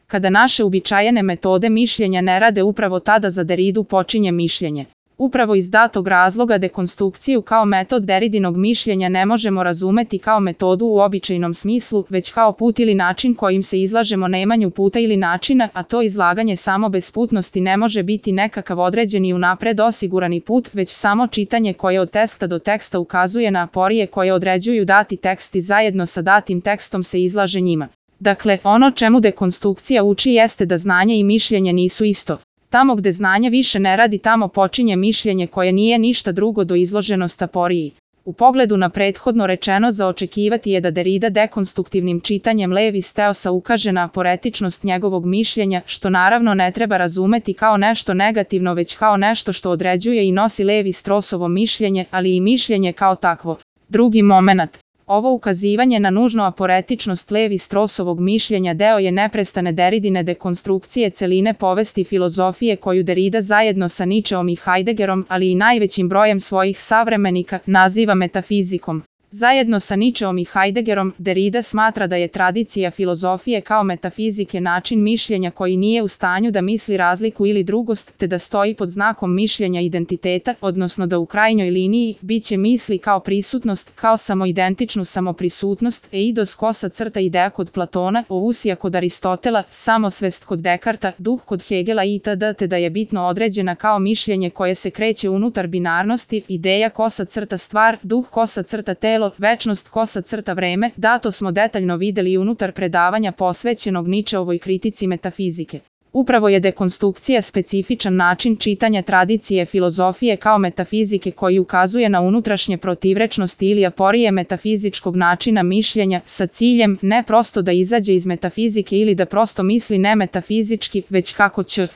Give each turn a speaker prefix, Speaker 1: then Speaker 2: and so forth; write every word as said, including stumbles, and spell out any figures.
Speaker 1: kada naše uobičajene metode mišljenja ne rade, upravo tada za Deridu počinje mišljenje. Upravo iz datog razloga dekonstrukciju kao metod Deridinog mišljenja ne možemo razumeti kao metodu u običajnom smislu, već kao put ili način kojim se izlažemo nemanju puta ili načina, a to izlaganje samo besputnosti ne može biti nekakav određeni unapred osigurani put, već samo čitanje koje od teksta do teksta ukazuje na aporije koje određuju dati tekst i zajedno sa datim tekstom se izlaže njima. Dakle, ono čemu dekonstrukcija uči jeste da znanje i mišljenje nisu isto. Tamo gde znanje više ne radi, tamo počinje mišljenje koje nije ništa drugo do izloženost aporiji. U pogledu na prethodno rečeno, za očekivati je da Derida dekonstruktivnim čitanjem Levi-Straussa ukaže na aporetičnost njegovog mišljenja, što naravno ne treba razumeti kao nešto negativno, već kao nešto što određuje i nosi Levi-Straussovo mišljenje, ali i mišljenje kao takvo. Drugi momenat. Ovo ukazivanje na nužnu aporetičnost Levi-Straussovog mišljenja deo je neprestane Deridine dekonstrukcije celine povesti filozofije koju Derida zajedno sa Nietzscheom i Heideggerom, ali i najvećim brojem svojih savremenika, naziva metafizikom. Zajedno sa Nietzscheom i Heideggerom, Derida smatra da je tradicija filozofije kao metafizike način mišljenja koji nije u stanju da misli razliku ili drugost, te da stoji pod znakom mišljenja identiteta, odnosno da u krajnjoj liniji biće misli kao prisutnost, kao samoidentičnu samoprisutnost, eidos kosa crta ideja kod Platona, ousija kod Aristotela, samosvest kod Dekarta, duh kod Hegela itd., te da je bitno određena kao mišljenje koje se kreće unutar binarnosti, ideja kosa crta stvar, duh kosa crta telo, večnost kosa crta vreme, dato smo detaljno videli i unutar predavanja posvećenog Nietzscheovoj kritici metafizike. Upravo je dekonstrukcija specifičan način čitanja tradicije filozofije kao metafizike koji ukazuje na unutrašnje protivrečnosti ili aporije metafizičkog načina mišljenja sa ciljem ne prosto da izađe iz metafizike ili da prosto misli ne metafizički, već kako će